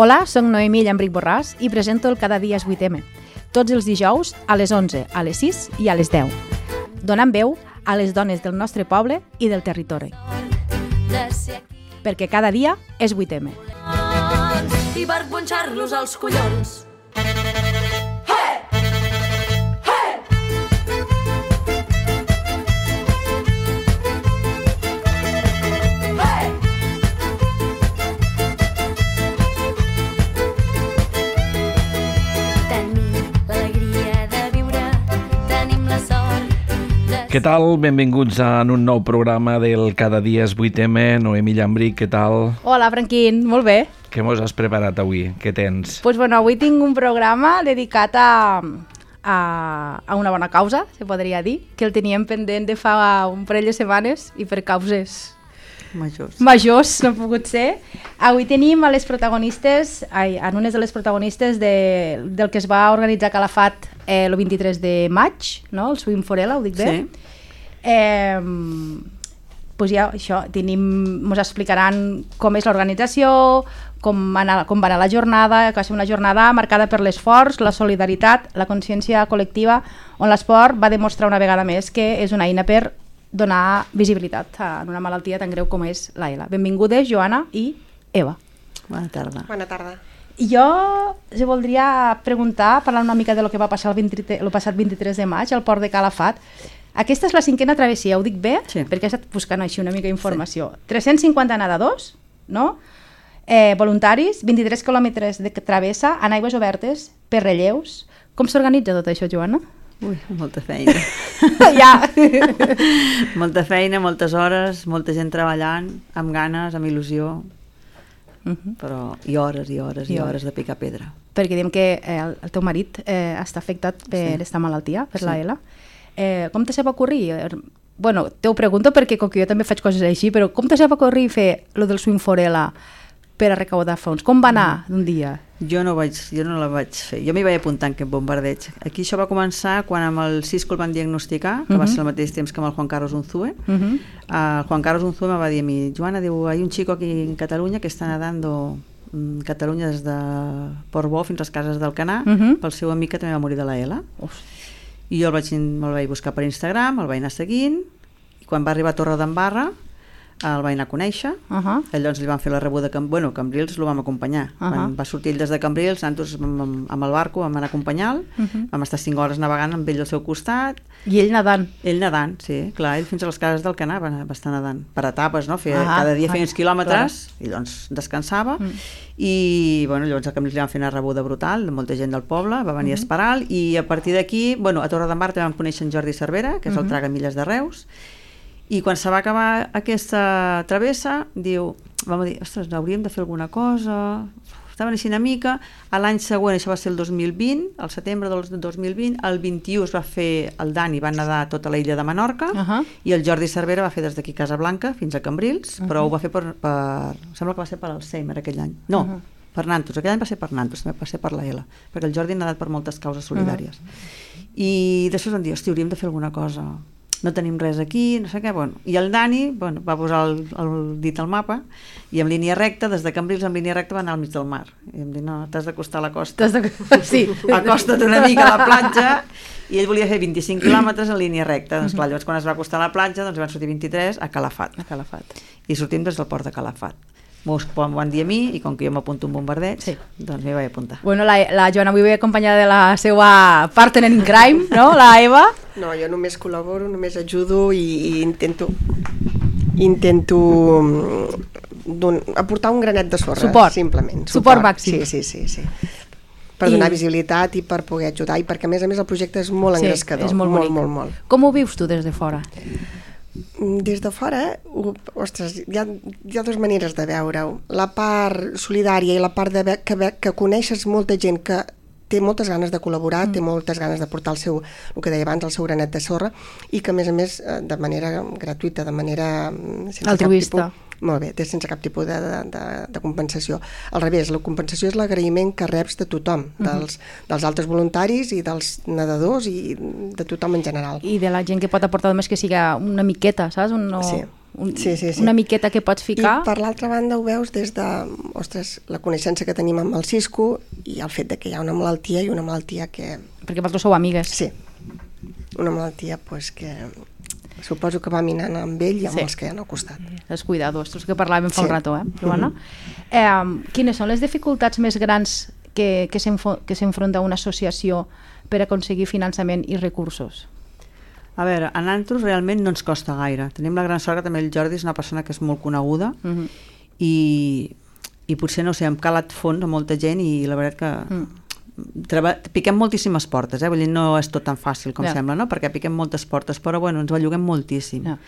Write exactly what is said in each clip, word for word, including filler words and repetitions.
Hola, soc Noemí Llambric Borràs i presento el Cada dia és vuit eme, tots els dijous a les onze, a les sis i a les deu, donant veu a les dones del nostre poble i del territori. Perquè cada dia és vuit eme. I per punxar-los als collons. Què tal? Benvinguts a un nou programa del Cada dia és vuit eme. Noemí Llambric, què tal? Hola, Franquín, molt bé. Què mos has preparat avui? Què tens? Pues bueno, avui tinc un programa dedicat a, a, a una bona causa, se podria dir, que el teníem pendent de fa un parell de setmanes i per causes majors, majors no ha pogut ser. Avui tenim a les protagonistes, ai, en unes de les protagonistes de, del que es va organitzar a Calafat eh, el vint-i-tres de maig, no? El Swim Forela, ho dic bé? Sí. Eh, pues ja, això, tenim, ens explicaran com és l'organització, com, anar, com va anar la jornada, que va ser una jornada marcada per l'esforç, la solidaritat, la consciència col·lectiva, on l'esport va demostrar una vegada més que és una eina per donar visibilitat a una malaltia tan greu com és la ELA. Benvingudes, Joana i Eva. Bona tarda. Bona tarda. Jo us voldria preguntar, parlar una mica de lo que va passar el, vint, el passat vint-i-tres de maig al port de Calafat. Aquesta és la cinquena travessia, ho dic bé? Sí. Perquè he estat buscant així una mica d'informació. Sí. tres-cents cinquanta nedadors, no? Eh, voluntaris, vint-i-tres quilòmetres de travessa en aigües obertes, per relleus. Com s'organitza tot això, Joana? Ui, molta feina. Ja. Molta feina, moltes hores, molta gent treballant, amb ganes, amb il·lusió, uh -huh. però i hores i hores i, I hores de picar pedra. Perquè diem que eh, el, el teu marit eh, està afectat per sí. esta malaltia, per sí. la ELA. Eh, com te se va ocorrir? Bueno, te ho pregunto perquè com que jo també faig coses així, però com te se va ocorrir fer lo del Swim Forela per a recaudar fons? Com va anar d'un dia? Jo no, vaig, jo no la vaig fer. Jo m'hi vaig apuntar en aquest bombardeig. Aquí això va començar quan amb el Cisco el van diagnosticar, que uh -huh. va ser al mateix temps que amb el Juan Carlos Unzue. Uh -huh. uh, el Juan Carlos Unzue me va dir a mi, Joana, diu, hay un chico aquí en Catalunya que està nadando en Catalunya des de Portbou fins a les Cases del Canà, uh -huh. pel seu amic que també va morir de la ELA. Uf. I jo el vaig, me'l vaig buscar per Instagram, el vaig anar seguint, i quan va arribar a Torre d'Embarra el vaig anar a conèixer, uh -huh. llavors li van fer la rebuda, de Cam... bueno, Cambrils el vam acompanyar, uh -huh. van, va sortir ell des de Cambrils, nosaltres amb, amb el barco vam anar a acompanyar-lo, uh -huh. vam estar cinc hores navegant amb ell al seu costat. I ell nedant? Ell nedant, sí, clar, ell fins a les Cases del Canà va, va estar nedant, per etapes, no? Feia, uh -huh. cada dia feia uns quilòmetres, clar. I doncs descansava, uh -huh. i bueno, llavors a Cambrils li van fer una rebuda brutal, de molta gent del poble, va venir uh -huh. a esperar, i a partir d'aquí, bueno, a Torre d'Embarra també vam conèixer en Jordi Cervera, que és uh -huh. el tragamilles de Reus, i quan se va acabar aquesta travessa, diu, vam dir, ostres, hauríem de fer alguna cosa, estaven així una mica, a l'any següent, això va ser el dos mil vint, al setembre del dos mil vint, el vint-i-u es va fer, el Dani va nedar tota la illa de Menorca, uh -huh. i el Jordi Cervera va fer des d'aquí Casablanca fins a Cambrils, uh -huh. però ho va fer per, per, sembla que va ser per Alzheimer aquell any, no, uh -huh. per Nantos, aquell any va ser per Nantos, també va ser per la ELA, perquè el Jordi ha nedat per moltes causes solidàries. Uh -huh. I després vam dir, hosti, hauríem de fer alguna cosa, no tenim res aquí, no sé què, bueno. I el Dani, bueno, va posar el, el dit al mapa i en línia recta, des de Cambrils en línia recta va anar al mig del mar. I em diu, no, t'has d'acostar a la costa. T'has de... Sí. Acosta't una mica a la platja, i ell volia fer vint-i-cinc quilòmetres en línia recta. Doncs clar, llavors quan es va acostar a la platja, doncs van sortir vint-i-tres a Calafat. A Calafat. I sortim des del port de Calafat. M'ho van dir a mi, i com que jo m'apunto un bombardeig, sí. doncs m'hi vaig apuntar. Bueno, la, la Joana avui ve acompanyada de la seva partner in crime, no?, la Eva. No, jo només col·laboro, només ajudo i, i intento intento don, aportar un granet de sorra, suport. Simplement. Suport, suport màxim. Sí, sí, sí, sí. Per I... donar visibilitat i per poder ajudar, i perquè a més a més el projecte és molt sí, engrescador. És molt, molt, molt, molt. Com ho vius tu des de fora? Des de fora, ostres, hi ha, hi ha dues maneres de veure-ho. La part solidària i la part de que, que coneixes molta gent que té moltes ganes de col·laborar, mm. té moltes ganes de portar el seu, el que deia abans, el seu granet de sorra, i que a més a més de manera gratuïta, de manera sense altruista. Cap tipus, molt bé, sense cap tipus de, de, de compensació. Al revés, la compensació és l'agraïment que reps de tothom, mm -hmm. dels, dels altres voluntaris i dels nedadors i de tothom en general. I de la gent que pot aportar només que siga una miqueta, saps? Un, no... Sí. un, sí, sí, sí. una miqueta que pots ficar. I per l'altra banda ho veus des de, ostres, la coneixença que tenim amb el Cisco i el fet de que hi ha una malaltia i una malaltia que... Perquè vosaltres sou amigues. Sí, una malaltia pues, que suposo que va minant amb ell i amb sí. els que hi ha al costat. Els cuidadors, els que parlàvem fa sí. un rato, eh, Joana? Mm-hmm. Eh, quines són les dificultats més grans que, que s'enfronta una associació per aconseguir finançament i recursos? A veure, a nosaltres realment no ens costa gaire. Tenim la gran sort que també el Jordi és una persona que és molt coneguda uh-huh. i, i potser, no sé, hem calat fons a molta gent i la veritat que mm. treba, piquem moltíssimes portes, eh? Vull dir, no és tot tan fàcil com yeah. sembla, no? Perquè piquem moltes portes, però bueno, ens belluguem moltíssim. Yeah.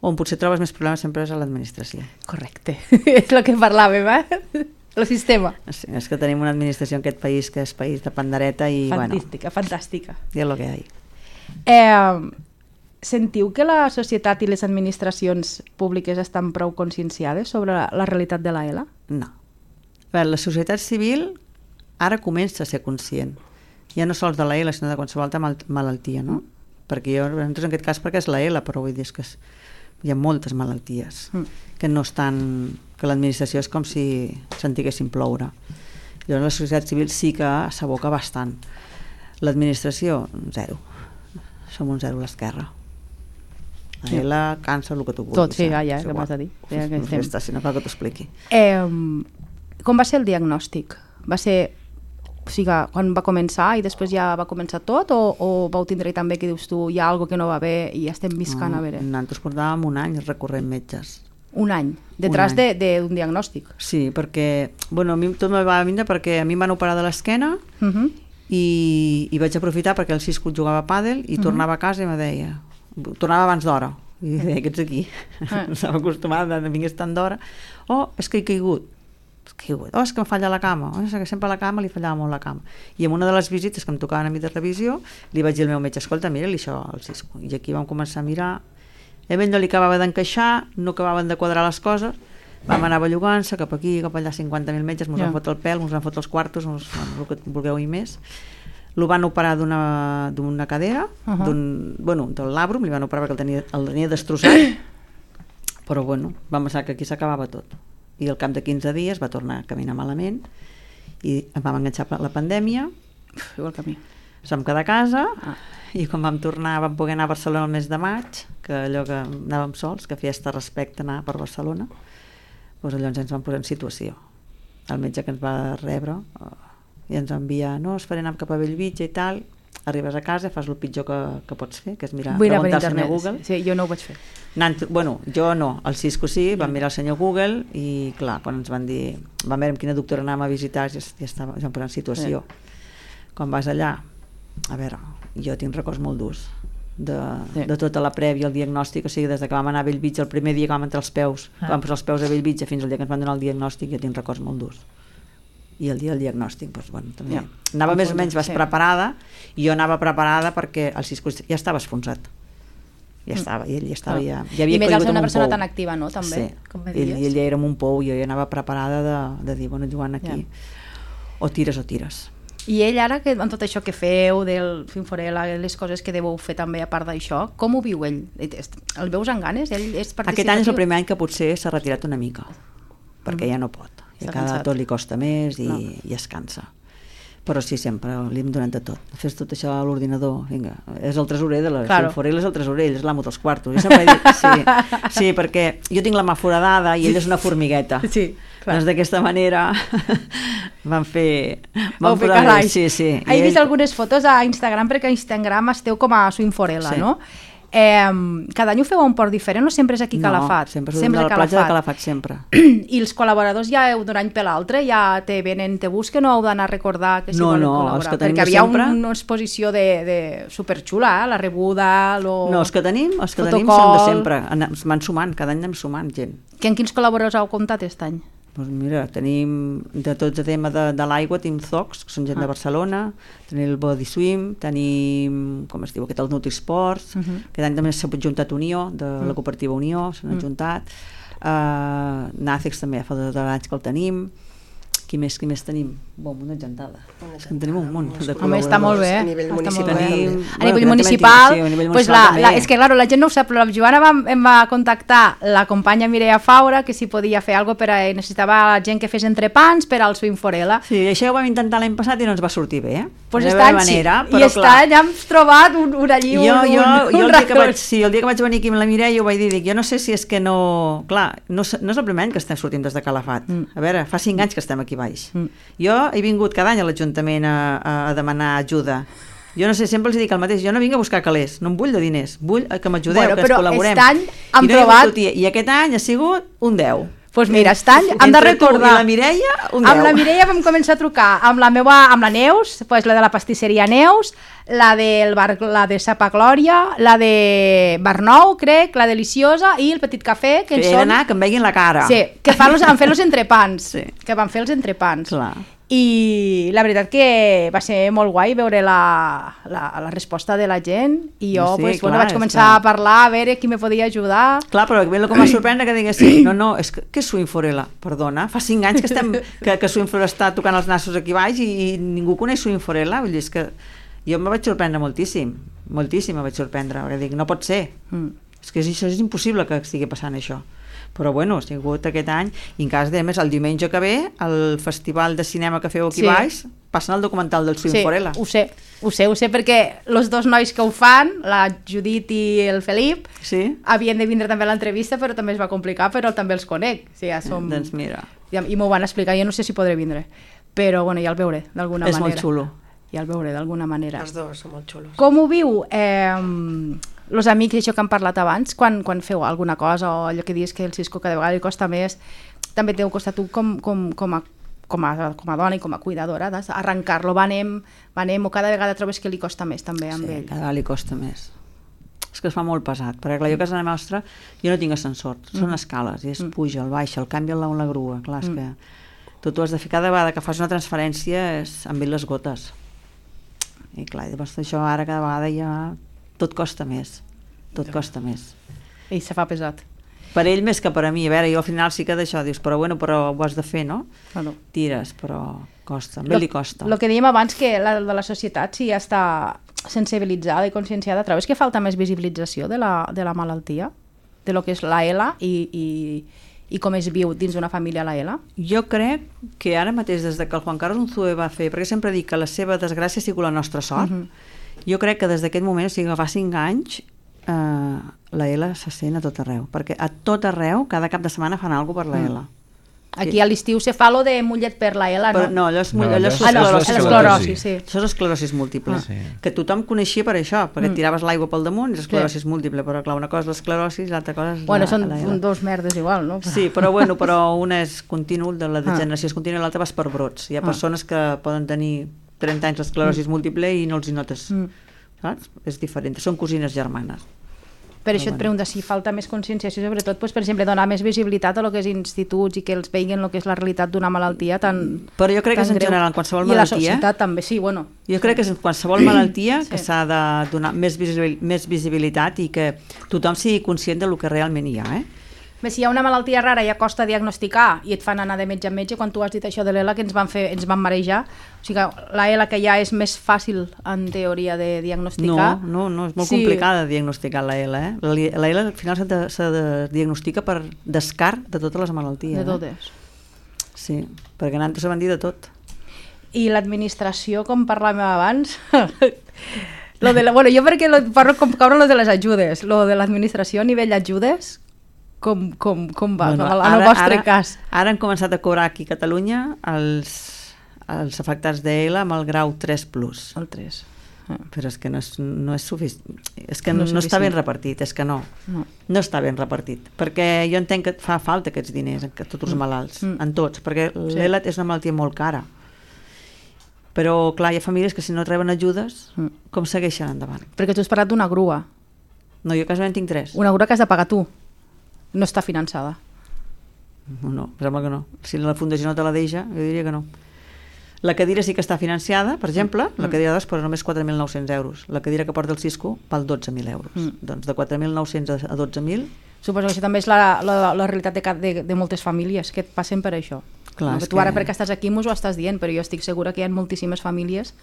On potser trobes més problemes sempre és a l'administració. Correcte, és el que parlàvem, eh? El sistema. Sí, és que tenim una administració en aquest país que és país de pandereta i fantàstica, bueno... fantàstica. I és el que hi ha. Eh, sentiu que la societat i les administracions públiques estan prou conscienciades sobre la, la realitat de l'A E L A? No. A veure, la societat civil ara comença a ser conscient. Ja no sols de l'A E L A, sinó de qualsevol altra mal malaltia, no? Mm. Perquè jo, en aquest cas, perquè és l'A E L A, però vull dir que és, hi ha moltes malalties mm. que no estan... que l'administració és com si sentiguessin ploure. Llavors la societat civil sí que s'aboca bastant. L'administració, zero. Som un zero a l'esquerra. A sí. ella cansa el que tu vulguis. Tot, sí, ja, ja, que m'has de dir. Ja que estem. Està, si no cal que t'ho expliqui. Eh, com va ser el diagnòstic? Va ser, o sigui, quan va començar i després ja va començar tot o, o vau tindre també que dius tu hi ha alguna que no va bé i ja estem viscant no, a veure? Nosaltres portàvem un any recorrent metges. Un any, detrás d'un de, de diagnòstic. Sí, perquè, bueno, a mi tot me va vindre perquè a mi em van operar de l'esquena uh-huh. i, i vaig aprofitar perquè el Cisco jugava a pàdel i uh-huh. tornava a casa i me deia, tornava abans d'hora, i deia que ets aquí. Uh-huh. No estava acostumada, no vingués tant d'hora. Oh, és que he caigut. caigut. Oh, és que em falla la cama. Oh, és que sempre a la cama li fallava molt la cama. I en una de les visites que em tocaven a mi de revisió, li vaig dir al meu metge, escolta, mira-li això al Cisco. I aquí vam començar a mirar. A ell no li acabava d'encaixar, no acabaven de quadrar les coses, vam anar bellugant-se cap aquí, cap allà, cinquanta mil metges, mos yeah. han fot el pèl, mos han fot els quartos, mos, bueno, el que vulgueu i més. Lo van operar d'una cadera, uh-huh. d'un, bueno, del labrum, li van operar perquè el tenia, el tenia destrossat, però bueno, vam pensar que aquí s'acabava tot. I al cap de quinze dies va tornar a caminar malament i em vam enganxar la pandèmia, igual que a mi. Vam quedar a casa, ah. i quan vam tornar vam poder anar a Barcelona el mes de maig, que allò que anàvem sols, que feia este respecte anar per Barcelona, doncs llavors ens vam posar en situació. El metge que ens va rebre i ens va enviar, no, es faré anar cap a Bellvitge i tal, arribes a casa, fas el pitjor que, que pots fer, que és mirar, preguntar al senyor Google. Sí, jo no ho vaig fer. Anant, bueno, jo no, el Cisco sí, vam mirar el senyor Google i clar, quan ens van dir, vam veure quina doctora anàvem a visitar, ja, ja estava, ja em posant en situació. Sí. Quan vas allà, a veure, jo tinc records molt durs de, sí. de tota la prèvia, el diagnòstic, o sigui, des que vam anar a Bellvitge, el primer dia que vam entrar els peus, ah. vam posar els peus a Bellvitge fins al dia que ens van donar el diagnòstic, jo tinc records molt durs. I el dia del diagnòstic, doncs, bueno, també. Ja. Anava més o menys vas sí. preparada, i jo anava preparada perquè el Cisco ja estava esfonsat. Ja estava, i ell ja estava, ja, ja havia I més al ser una persona pou. tan activa, no? També, sí. com me dius. Ell, ell ja era un pou, jo ja anava preparada de, de dir, bueno, Joan, aquí, ja. o tires o tires. I ell ara, que, amb tot això que feu, del Finforela, les coses que deveu fer també a part d'això, com ho viu ell? El veus amb ganes? Ell és participatiu? Aquest any és el primer any que potser s'ha retirat una mica, perquè mm. ja no pot. I cada tot li costa més i, no. i es cansa. Però sí, sempre li hem donat de tot. Fes tot això a l'ordinador, vinga, és el tresorer de la claro. Finforela, és el tresorer, ell és l'amo dels quartos. Jo sempre he dit, sí, sí, perquè jo tinc la mà foradada i ell és una formigueta. Sí, clar. Doncs d'aquesta manera van fer... Van fer carai. Sí, sí. He ell... vist algunes fotos a Instagram, perquè a Instagram esteu com a Finforela, sí. no? Eh, cada any ho feu a un port diferent o sempre és aquí a Calafat? No, sempre és sempre a la platja de Calafat, sempre. I els col·laboradors ja heu d'un any per l'altre? Ja te venen, te busquen o heu d'anar a recordar que si no, volen no, col·laborar? Els que tenim perquè havia sempre... una exposició de, de superxula, eh? La rebuda, lo... No, els que tenim, els que tenim són de sempre. Es van sumant, cada any anem sumant gent. Que en quins col·laboradors heu comptat aquest any? Doncs mira, tenim de tots el tema de, de l'aigua, tenim Zocs, que són gent ah. de Barcelona, tenim el Body Swim, tenim, com es diu, aquest el Nutrisports, uh-huh. aquest any també s'ha juntat Unió, de uh-huh. la cooperativa Unió, s'han uh-huh. juntat, uh, Nàcex també fa dos anys que el tenim, Qui més, qui més tenim? Bon, una gentada. És que en tenim un munt de col·laboradors. Home, està molt bé. A nivell està municipal. molt bé. Tenim- A bueno, nivell també municipal, sí, a nivell pues municipal la, també. la, és que claro, la gent no ho sap, però la Joana va, em va contactar la companya Mireia Faura que si podia fer alguna cosa per a, necessitava gent que fes entrepans per al Swing Forela. Sí, això ho vam intentar l'any passat i no ens va sortir bé, eh? Pues De està la manera, I però està, clar, ja hem trobat un, un allí, jo, un, jo, un, jo un el, dia que racó. vaig, sí, el dia que vaig venir aquí amb la Mireia ho vaig dir, dic, jo no sé si és que no... Clar, no, s- no és el primer any que estem sortint des de Calafat. Mm. A veure, fa cinc anys que estem aquí baix. Mm. Jo he vingut cada any a l'Ajuntament a, a, a demanar ajuda. Jo no sé, sempre els dic el mateix, jo no vinc a buscar calés, no em vull de diners, vull que m'ajudeu, Bueno, que però ens col·laborem. aquest any hem I, no hi ha trobat- hagut sortir. I aquest any ha sigut un deu. Pues mira, aquest any hem de Entre tu recordar... i la Mireia, un deu. Amb la Mireia vam començar a trucar, amb la meva, amb la Neus, pues la de la pastisseria Neus, la, del bar, la de Sapa Glòria, la de Barnou, crec, la Deliciosa i el Petit Cafè, que, Que he són... d'anar, que em veguin la cara. Sí, que fan los, han fet els entrepans, Sí. que van fer els entrepans. Clar. I la veritat que va ser molt guai veure la, la, la resposta de la gent i jo Sí, pues, clar, bueno, vaig és començar que- a parlar a veure qui me podia ajudar. Clar, però el que em va sorprendre que diguessin, no, no, és que, què és Swing Forela? Perdona, fa cinc anys que estem que, que Swing Forela està tocant els nassos aquí baix i, i ningú coneix Swing Forela, vull dir, és que jo em vaig sorprendre moltíssim, moltíssim em vaig sorprendre, perquè dic, no pot ser, Mm. és que és, això és impossible que estigui passant això. Però bueno, ha sigut aquest any, i en cas de més, el diumenge que ve, el festival de cinema que feu aquí Sí. baix, passen el documental del Swing Sí, Forela. ho sé, ho sé, ho sé perquè els dos nois que ho fan, la Judit i el Felip, Sí? havien de vindre també a l'entrevista, però també es va complicar, però també els conec. O sigui, ja som... Doncs mira, I, i m'ho van explicar, jo no sé si podré vindre, però bueno, ja el veuré d'alguna és manera. molt xulo. Ja el veuré d'alguna manera. Els dos són molt xulos. Com ho viu eh, els amics, això que han parlat abans, quan, quan feu alguna cosa o allò que dius que el Cisco cada vegada li costa més, també t'heu costat tu com, com, com, a, com, a, com a dona i com a cuidadora arrencar-lo, va anem, va anem, o cada vegada trobes que li costa més també amb Sí, ell. cada vegada li costa més. És que es fa molt pesat, perquè clar, jo a casa nostra jo no tinc ascensor, són Mm. escales, i es puja, el baixa, el canvia la, la grua, clar, és que tu t'ho has de fer cada vegada que fas una transferència és amb ell les gotes. I clar, llavors això ara cada vegada ja tot costa més, tot costa més. I se fa pesat. Per ell més que per a mi, a veure, jo al final sí que d'això dius, però bueno, però ho has de fer, no? Bueno. Tires, però costa, a ell li costa. El que dèiem abans, que la, de la societat si ja està sensibilitzada i conscienciada, trobes que falta més visibilització de la, de la malaltia? De lo que és la E L A i, i, i com es viu dins d'una família la E L A? Jo crec que ara mateix, des de que el Juan Carlos Unzué va fer, perquè sempre dic que la seva desgràcia ha sigut la nostra sort, uh -huh. jo crec que des d'aquest moment, o sigui que fa cinc anys, eh, la E L A se sent a tot arreu, perquè a tot arreu, cada cap de setmana fan alguna cosa per la E L A. Aquí a l'estiu se fa lo de mullet per la E L A, Però, no? no, allò és, No, allò allò és és Ah, no, esclerosi. l'esclerosi, sí. Això és esclerosi múltiple, Ah. Sí. que tothom coneixia per això, perquè et tiraves l'aigua pel damunt i és esclerosi múltiple, però clar, una cosa és l'esclerosi i l'altra cosa és Bueno, la, són la E L A. un, dos merdes igual, no? Sí, però bueno, però una és continu, de la degeneració és contínua i l'altra vas per brots. Hi ha Ah. persones que poden tenir trenta anys l'esclerosi múltiple i no els hi notes, Mm. saps? És diferent, són cosines germanes. Per això et pregunto si falta més conscienciació, sobretot, doncs, per exemple, donar més visibilitat a lo que és instituts i que els veiguin el que és la realitat d'una malaltia tan Però jo crec que tan és en greu. general, en qualsevol I la malaltia, societat també, sí, bueno. jo crec que és en qualsevol malaltia Sí. que s'ha de donar més, visibil més visibilitat i que tothom sigui conscient del que realment hi ha, eh? Bé, si hi ha una malaltia rara ja costa diagnosticar i et fan anar de metge a metge, quan tu has dit això de l'E L A que ens van, fer, ens van marejar, o sigui que la E L A que ja és més fàcil en teoria de diagnosticar. No, no, no, és molt Sí. complicada diagnosticar la E L A, eh? La, la E L A al final s'ha de, s'ha de diagnostica per descart de totes les malalties. De totes. Eh? Sí, perquè anant se van dir de tot. I l'administració, com parlàvem abans, lo de la, bueno, jo perquè lo, parlo com caure lo de les ajudes, lo de l'administració a nivell ajudes, com, com, com va, Bueno, com en el vostre ara, cas? Ara han començat a cobrar aquí a Catalunya els, els afectats d'E L A amb el grau tres plus. El tres. Però és que no és, no és suficient. És que No no, és no està ben suficient. repartit, és que no. No. No està ben repartit. Perquè jo entenc que fa falta aquests diners a tots els malalts, Mm. en tots, perquè Sí. l'E L A és una malaltia molt cara. Però, clar, hi ha famílies que si no reben ajudes, Mm. com segueixen endavant? Perquè tu has parlat d'una grua. No, jo casualment tinc tres. Una grua que has de pagar tu. No està finançada. No, no, em sembla que no. Si la fundació no te la deixa, jo diria que no. La cadira sí que està financiada, per exemple, la cadira d'os, però només quatre mil nou-cents euros. La cadira que porta el Cisco val dotze mil euros. Mm. Doncs de quatre mil nou-cents a a dotze mil, Suposo que això també és la, la, la realitat de, ca- de, de moltes famílies que passen per això. Clar, no, tu ara que... perquè estàs aquí mos ho estàs dient, però jo estic segura que hi ha moltíssimes famílies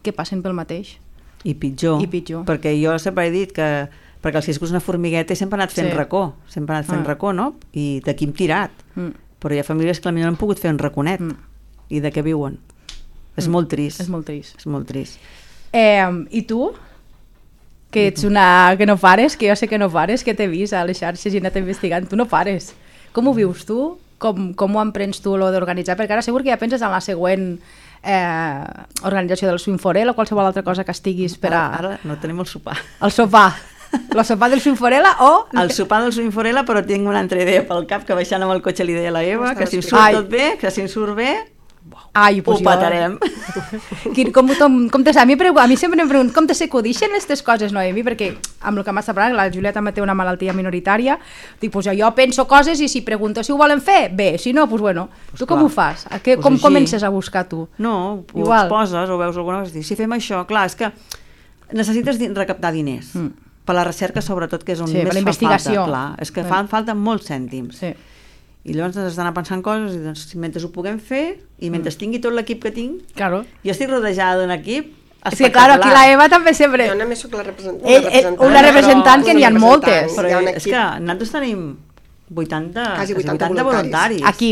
que passen pel mateix. I pitjor, I pitjor. perquè jo sempre he dit que perquè el Cisco és una formigueta i sempre ha anat fent sí. racó, sempre ha anat fent ah. racó, no? I d'aquí hem tirat. Mm. Però hi ha famílies que potser no han pogut fer un raconet. Mm. I de què viuen? Mm. És molt trist. És molt trist. És molt trist. Eh, I tu? Que ets una... que no pares, que jo sé que no pares, que t'he vist a les xarxes i he anat investigant. Tu no pares. Com ho vius tu? Com, com ho emprens tu, lo d'organitzar? Perquè ara segur que ja penses en la següent eh, organització del Swimforel o qualsevol altra cosa que estiguis per a... Ara, ara no tenim el sopar. El sopar. El sopar del Swimforella o... El sopar del Swimforella, però tinc una altra idea pel cap, que baixant amb el cotxe li deia a la Eva, que si em surt Ai. tot bé, que si em surt bé, Ai, pues ho patarem. Jo... Com, com, com te, a, mi pregu... a mi sempre em pregunto com te s'acudixen aquestes coses, Noemi? Perquè amb el que m'està parlant, la Júlia també té una malaltia minoritària, dic, pues jo penso coses i si pregunto si ho volen fer, bé, si no, pues bueno. Pues tu clar. Com ho fas? A què, pues com així. Comences a buscar tu? No, ho Igual. Exposes o veus alguna cosa, si fem això, clar, és que necessites recaptar diners. Mm. Per la recerca, sobretot, que és on sí, més fa falta. Clar, és que sí. fan falta molts cèntims. Sí. I llavors has d'anar pensant coses i doncs, mentre ho puguem fer i mentre mm. tingui tot l'equip que tinc, claro. Jo estic rodejada d'un equip espectacular. És que, clar, aquí la Eva també sempre... Jo només soc la representant. Una representant, una representant que n'hi ha moltes. Però és que nosaltres tenim vuitanta, quasi vuitanta, vuitanta voluntaris. Aquí.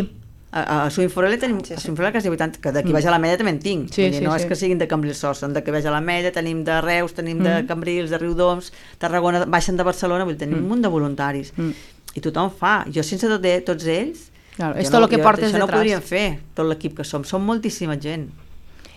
A, a Swimforella tenim sí, sí. A Swimforella quasi vuitanta, que d'aquí mm. baix a l'Ametlla també en tinc. Sí, sí, no sí. és que siguin de Cambrils sols, són d'aquí baix a l'Ametlla, tenim de Reus, tenim mm. de Cambrils, de Riudoms, Tarragona, baixen de Barcelona, vull dir, tenim mm. un munt de voluntaris. Mm. I tothom fa. Jo sense tot, tots ells, claro, és tot el que jo, portes això detrás. No podríem fer, tot l'equip que som. Som moltíssima gent.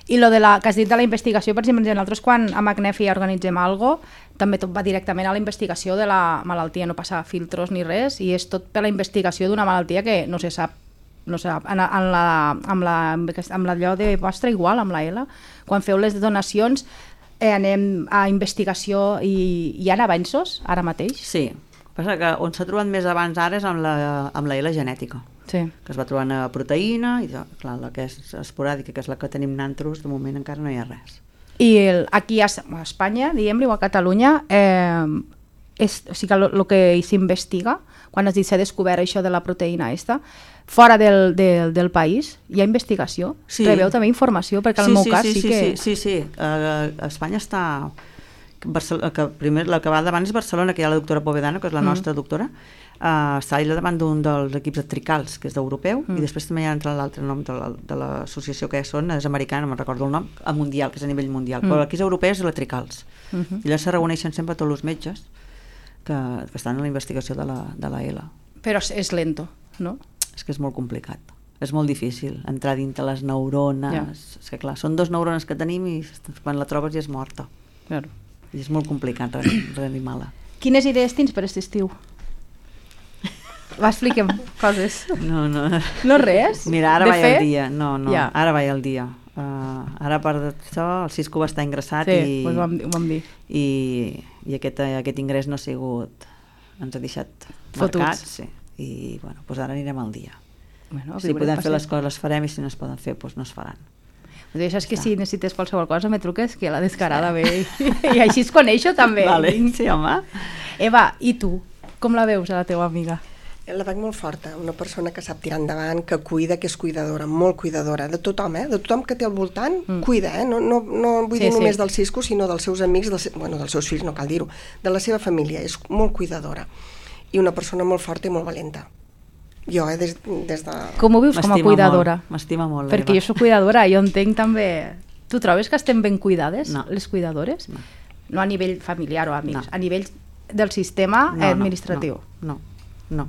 I lo de la, que has dit de la investigació, per exemple, nosaltres quan a Magnefi organitzem alguna cosa, també tot va directament a la investigació de la malaltia, no passa filtros ni res, i és tot per la investigació d'una malaltia que no se sap, no sé, en, en la, amb, la, amb l'allò de vostra igual, amb la L, quan feu les donacions eh, anem a investigació i hi ha avanços ara mateix? Sí, passa que on s'ha trobat més abans ara és amb la, amb la L genètica, sí. Que es va trobar una proteïna i clar, la que és esporàdica, que és la que tenim nantros, de moment encara no hi ha res. I el, aquí a Espanya, diguem-li, o a Catalunya, eh, és, o sigui, el que s'investiga, quan has dit s'ha descobert això de la proteïna esta, fora del, del, del país, hi ha investigació? Sí. Rebeu també informació? Perquè en sí, el meu sí, cas sí, sí, sí que... Sí, sí, sí. Uh, a Espanya està... Barcelona, que primer, la que va davant és Barcelona, que hi ha la doctora Povedano, que és la mm. nostra doctora, uh, està allà davant d'un dels equips de Tricals, que és d'europeu, mm. i després també hi ha l'altre nom de, la, de l'associació que són, és americana, no me'n recordo el nom, a mundial, que és a nivell mundial, mm. però aquí és europeu, és la Tricals. Mm -hmm. I allà se reuneixen sempre tots els metges que, que estan en la investigació de la, de la L. Però és lento, no? És que és molt complicat. És molt difícil entrar dintre les neurones. Ja. És que clar, són dos neurones que tenim i quan la trobes ja és morta. Claro. I és molt complicat reanimar-la. Quines idees tens per aquest estiu? Va, expliquem coses. No, no. No res? Mira, ara de vaig fer? al dia. No, no, ja. Ara vaig al dia. Uh, ara a part d'això, el Cisco va estar ingressat sí, i, pues ho vam, ho vam dir. i, i aquest, aquest ingrés no ha sigut... ens ha deixat marcats. Sí. I bueno, pues ara anirem al dia. Bueno, si podem fer les coses les farem i si no es poden fer doncs no es faran. Doncs això és que si necessites qualsevol cosa me truques que la descarada ve i, i així es coneixo també. Vale, sí, home. Eva, i tu? Com la veus a la teva amiga? La veig molt forta, una persona que sap tirar endavant, que cuida, que és cuidadora, molt cuidadora, de tothom, eh? De tothom que té al voltant, mm. cuida, eh? No, no, no vull sí, dir només sí. del Cisco, sinó dels seus amics, dels, bueno, dels seus fills, no cal dir-ho, de la seva família, és molt cuidadora. I una persona molt forta i molt valenta. Jo, eh, des, des de... Com ho vius com a cuidadora? M'estima molt. Perquè jo soc cuidadora, jo entenc també... Tu trobes que estem ben cuidades, no. les cuidadores? No. No a nivell familiar o amics, no. a nivell del sistema no, administratiu. No, no, no,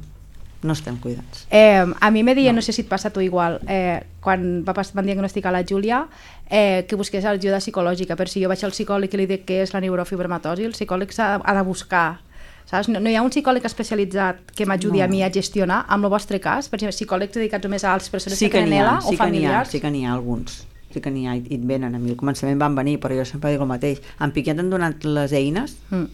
no estem cuidats. Eh, a mi me deia, no. no sé si et passa a tu igual, eh, quan van diagnosticar la Júlia, eh, que busqués ajuda psicològica, per si jo vaig al psicòleg i li dic què és la neurofibromatosi, el psicòleg s'ha de buscar. Saps? No, no hi ha un psicòleg especialitzat que m'ajudi no. a mi a gestionar, amb el vostre cas, per exemple, psicòlegs dedicats només a les persones sí que tenen ELA sí o familiars? Sí que n'hi ha, alguns, sí que n'hi ha, i et venen a mi, al començament van venir, però jo sempre dic el mateix, en Piquet han donat les eines, mm.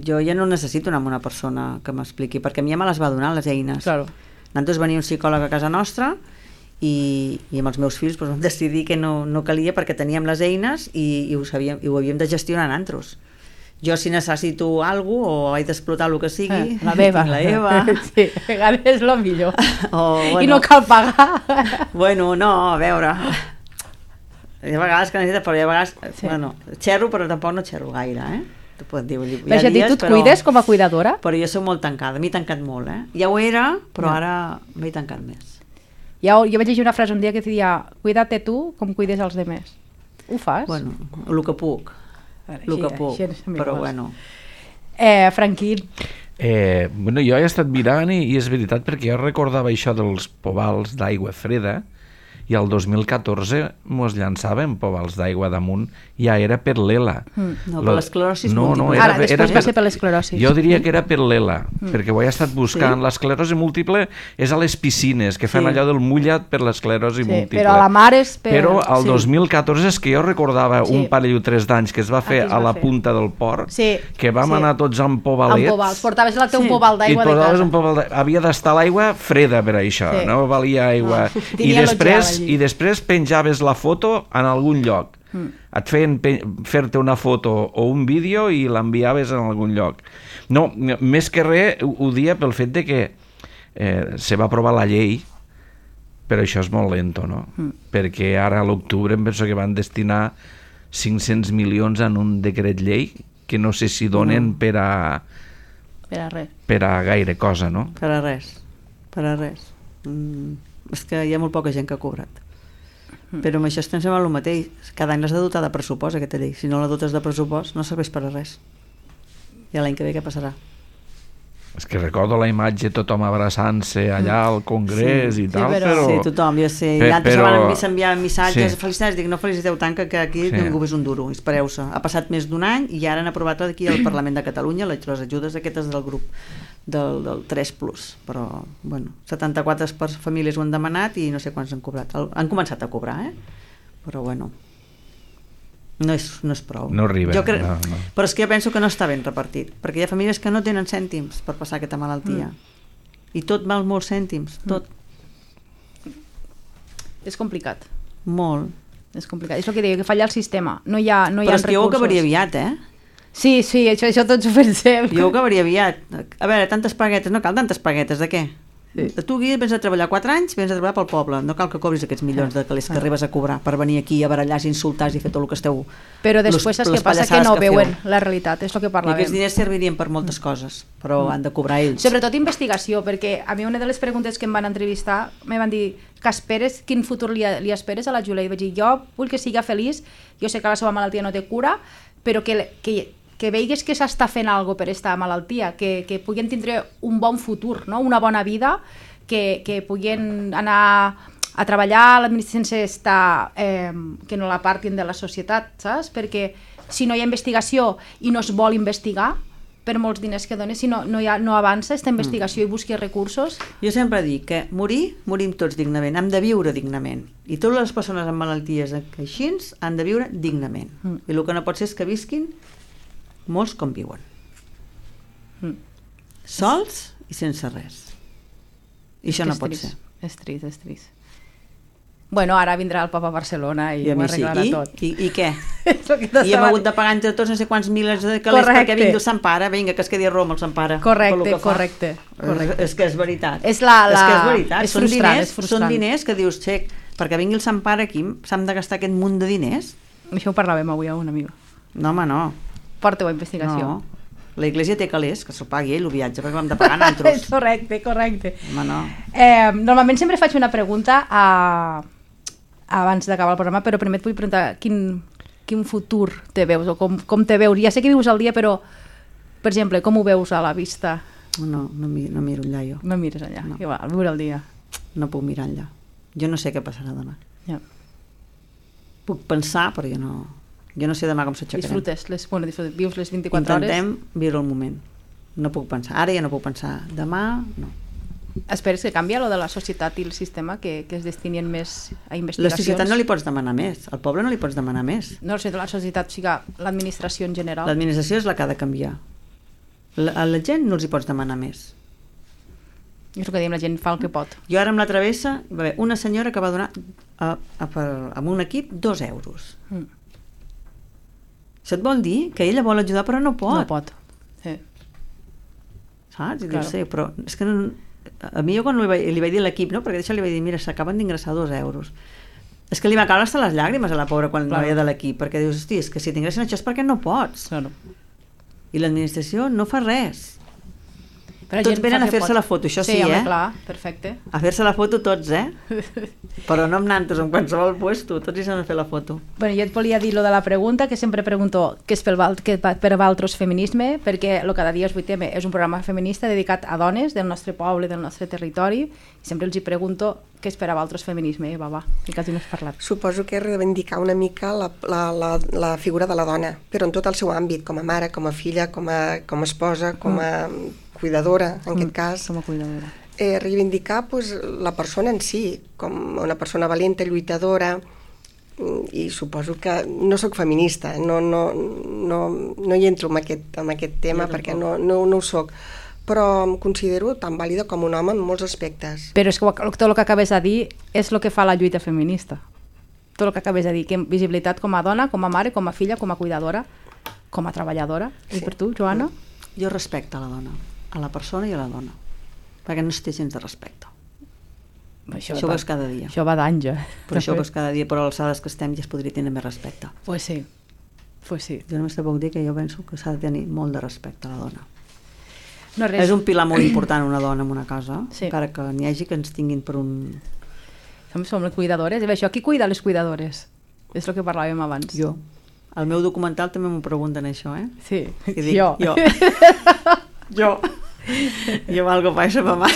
jo ja no necessito anar amb una persona que m'expliqui, perquè a mi ja me les va donar les eines. Claro. Nosaltres venia un psicòleg a casa nostra i, i amb els meus fills doncs, vam decidir que no, no calia perquè teníem les eines i, i, ho sabíem, i ho havíem de gestionar nosaltres. Jo si necessito alguna cosa o haig d'explotar el que sigui, la Eva. la Eva. Sí, a vegades és el millor. O, bueno, I no cal pagar. Bueno, no, a veure... Hi ha vegades que necessites, però hi ha vegades... Sí. Bueno, xerro, però tampoc no xerro gaire, eh? Tu pots dir, hi ha dies, tu et però... cuides com a cuidadora? Però jo soc molt tancada, m'he tancat molt, eh? Ja ho era, però no. Ara m'he tancat més. Ja, jo vaig llegir una frase un dia que deia cuida't tu com cuides els demés. Ho fas? Bueno, el que puc. El que puc, però bueno. Eh, Franquín. Eh, bueno, jo he estat mirant i, i és veritat perquè jo recordava això dels povals d'aigua freda i el dos mil catorze mos llançàvem povals d'aigua damunt, ja era per l'Ela. Mm. No, per l'esclerosi no, múltiple. No, era, Ara, després era va per, ser per l'esclerosi. Jo diria que era per l'Ela, mm. perquè ho he estat buscant. Sí? L'esclerosi múltiple és a les piscines, que fan sí. allò del mullat per l'esclerosi sí, múltiple. Però a la mar és per... Però el sí. dos mil catorze és que jo recordava sí. un parell o tres d'anys que es va fer es va a la fer. punta del port, sí. que vam sí. anar tots amb pobalets. Amb povals, portaves el teu sí. poval d'aigua de casa. Un poval havia d'estar l'aigua freda per això, sí. no valia aigua. No. I, després, I després penjaves la foto en algun lloc. Mm. Et feien fer-te una foto o un vídeo i l'enviaves en algun lloc. No, més que res ho, ho dia pel fet de que eh, se va aprovar la llei, però això és molt lento, no? Mm. Perquè ara a l'octubre em penso que van destinar cinc-cents milions en un decret llei que no sé si donen mm. per a per a res. Per a gaire cosa, no? Per a res. Per a res. Mm, és que hi ha molt poca gent que ha cobrat. Però amb això estem sempre el mateix. Cada any l'has de dotar de pressupost, aquesta llei. Si no la dotes de pressupost, no serveix per a res. I l'any que ve què passarà? És que recordo la imatge, tothom abraçant-se allà al Congrés sí, i tal, sí, però... però... Sí, tothom, jo sé. Pe I altres però... van s'enviar missatges, sí. felicitats, dic, no feliciteu tant que, que aquí sí. ningú és un duro, espereu-se. Ha passat més d'un any i ara han aprovat aquí al Parlament de Catalunya les ajudes aquestes del grup del, del tres plus, però bueno, setanta-quatre famílies ho han demanat i no sé quants han cobrat. Han començat a cobrar, eh? Però bueno, no és, no és prou. No arriba. Jo cre... no, no. Però és que jo penso que no està ben repartit, perquè hi ha famílies que no tenen cèntims per passar aquesta malaltia. Mm. I tot val molts cèntims, tot. Mm. És complicat. Molt. És complicat. És el que deia, que falla el sistema. No hi ha, no hi però ha és que jo ho acabaria aviat, eh? Sí, sí, això, això tots ho pensem. Jo ho acabaria aviat. A veure, tantes paguetes, no cal tantes paguetes, de què? Sí. Tu aquí vens a treballar quatre anys, vens a treballar pel poble, no cal que cobris aquests milions de calés que arribes a cobrar per venir aquí a barallar, insultar i fer tot el que esteu... Però després saps què passa? Que no veuen la realitat, és el que parlàvem. I aquests diners servirien per moltes coses, però mm. han de cobrar ells. Sobretot investigació, perquè a mi una de les preguntes que em van entrevistar me van dir que esperes, quin futur li, li esperes a la Júlia? I vaig dir, jo vull que siga feliç, jo sé que la seva malaltia no té cura, però que, que, que veigues que s'està fent alguna cosa per aquesta malaltia, que, que puguin tindre un bon futur, no? Una bona vida, que, que puguin anar a treballar a l'administració sense estar, eh, que no la partin de la societat, saps? Perquè si no hi ha investigació i no es vol investigar, per molts diners que dones, si no, no, hi ha, no avança aquesta investigació mm. i busqui recursos... Jo sempre dic que morir, morim tots dignament, hem de viure dignament. I totes les persones amb malalties així han de viure dignament. Mm. I el que no pot ser és que visquin molts com viuen. Mm. Sols i sense res. I això no pot trist. ser. És trist, és trist. Bueno, ara vindrà el papa a Barcelona i, I ho arreglarà sí. I, tot. I, i què? I hem hagut de pagar entre tots no sé quants milers de calés perquè vingui el Sant Pare, vinga, que es quedi a Roma el Sant Pare. Correcte, correcte. correcte. És, és que és veritat. És, la, la... és que és veritat. És són, frustrant, diners, és frustrant. són diners que dius, xec, perquè vingui el Sant Pare aquí, s'han de gastar aquest munt de diners? Això ho parlàvem avui a una amiga. No, home, no. Porta-ho a investigació. No. La Iglesia té calés, que s'ho pagui ell, el viatge, perquè vam de pagar nosaltres. correcte, correcte. Home, no. Eh, normalment sempre faig una pregunta a... abans d'acabar el programa, però primer et vull preguntar quin, quin futur te veus o com, com te veus. Ja sé que vius al dia, però, per exemple, com ho veus a la vista? No, no, no miro enllà jo. No mires enllà, no. Igual, viure al dia. No puc mirar enllà. Jo no sé què passarà demà. Ja. Puc pensar, però jo no... Jo no sé demà com s'aixecarem. Disfrutes, les, bueno, disfrutes, vius les vint-i-quatre hores. Intentem viure el moment. No puc pensar. Ara ja no puc pensar. Demà, no. Esperes que canvia lo de la societat i el sistema, que, que es destinien més a investigacions? La societat no li pots demanar més. Al poble no li pots demanar més. No sé, la societat, o sigui, l'administració en general. L'administració és la que ha de canviar. La, a la gent no els hi pots demanar més. És el que diem, la gent fa el que pot. Jo ara amb la travessa va haver una senyora que va donar a, a, per, amb un equip dos euros. Mm. Això et vol dir que ella vol ajudar però no pot. No pot, sí. Saps? I claro. Dius, sí, però és que no, a mi jo quan li vaig, li vaig dir a l'equip, no? Perquè d'això li vaig dir, mira, s'acaben d'ingressar dos euros. És que li va caure hasta les llàgrimes a la pobra quan claro. no veia de l'equip, perquè dius, hosti, és que si t'ingressen això és perquè no pots. Claro. I l'administració no fa res. Però tots venen a fer-se la foto, això sí, sí home, eh? Clar, perfecte. A fer-se la foto tots, eh? Però no amb nantos, en qualsevol puesto, tots hi s'han de fer la foto. Bueno, jo et volia dir lo de la pregunta, que sempre pregunto què és per, què per Valtros feminisme, perquè lo Cada dia és vuit eme és un programa feminista dedicat a dones del nostre poble, del nostre territori, i sempre els hi pregunto què és per a Valtros feminisme, eh, va, va, que quasi no has parlat. Suposo que és reivindicar una mica la, la, la, la figura de la dona, però en tot el seu àmbit, com a mare, com a filla, com a, com a esposa, com a cuidadora, en mm, aquest cas. Com a cuidadora. Eh, reivindicar pues, la persona en si, com una persona valenta, lluitadora, i suposo que no sóc feminista, no, no, no, no hi entro en aquest, en aquest tema perquè no, no, no ho sóc, però em considero tan vàlida com un home en molts aspectes. Però és que tot el que acabes de dir és el que fa la lluita feminista. Tot el que acabes de dir, que visibilitat com a dona, com a mare, com a filla, com a cuidadora, com a treballadora. Sí. I per tu, Joana? Jo respecto a la dona, a la persona i a la dona, perquè no es té gens de respecte. Això, això ho veus cada dia. Això va d'anys, eh? Però això ho veus cada dia, però a les alçades que estem ja es podria tenir més respecte. Pues sí, pues sí. Jo només te puc dir que jo penso que s'ha de tenir molt de respecte a la dona. No, res. És un pilar molt important una dona en una casa, sí. Encara que n'hi hagi que ens tinguin per un... Som, som les cuidadores, i bé, això, qui cuida les cuidadores? És el que parlàvem abans. Jo. Al meu documental també m'ho pregunten això, eh? Sí, I dic, jo. Jo. jo. Jo valgo pa això, mamà.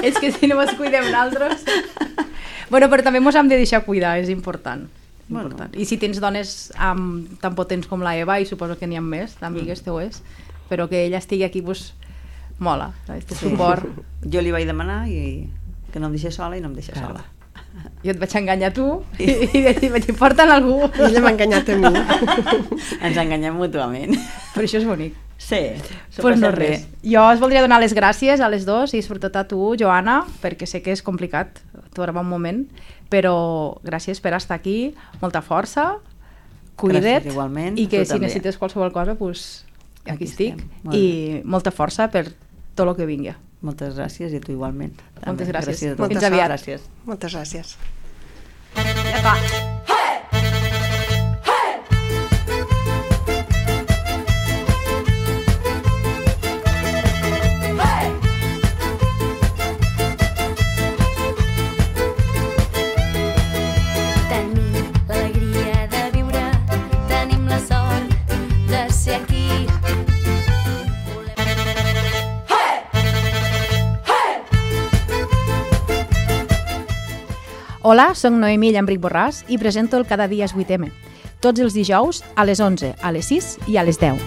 És que si no ens cuidem nosaltres... Bueno, però també ens hem de deixar cuidar, és important. Bueno. important. I si tens dones amb, tan potents com la Eva, i suposo que n'hi ha més, d'amigues mm. teues, però que ella estigui aquí, pues, mola, este sí. suport. Jo li vaig demanar i que no em deixés sola i no em deixés claro. sola. Jo et vaig enganyar a tu i, i, i vaig dir, porta'n algú. I ella m'ha enganyat a mi. Ens enganyem mútuament. Però això és bonic. Sí, pues no res. Jo us voldria donar les gràcies a les dos i sobretot a tu, Joana, perquè sé que és complicat trobar un moment, però gràcies per estar aquí, molta força, cuida't, gràcies, igualment, i que si també. necessites qualsevol cosa, pues, aquí, aquí estic, molt i bé. Molta força per tot el que vingui. Moltes gràcies i a tu igualment. Moltes també. gràcies. gràcies Fins aviat. Gràcies. Moltes gràcies. Ja està. Hola, soc Noemí Llambric Borràs i presento el Cada dia és vuit eme, tots els dijous a les onze, a les sis i a les deu,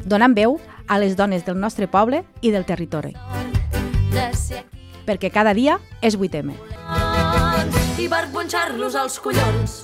donant veu a les dones del nostre poble i del territori. Perquè cada dia és vuit eme. I per punxar-los als collons.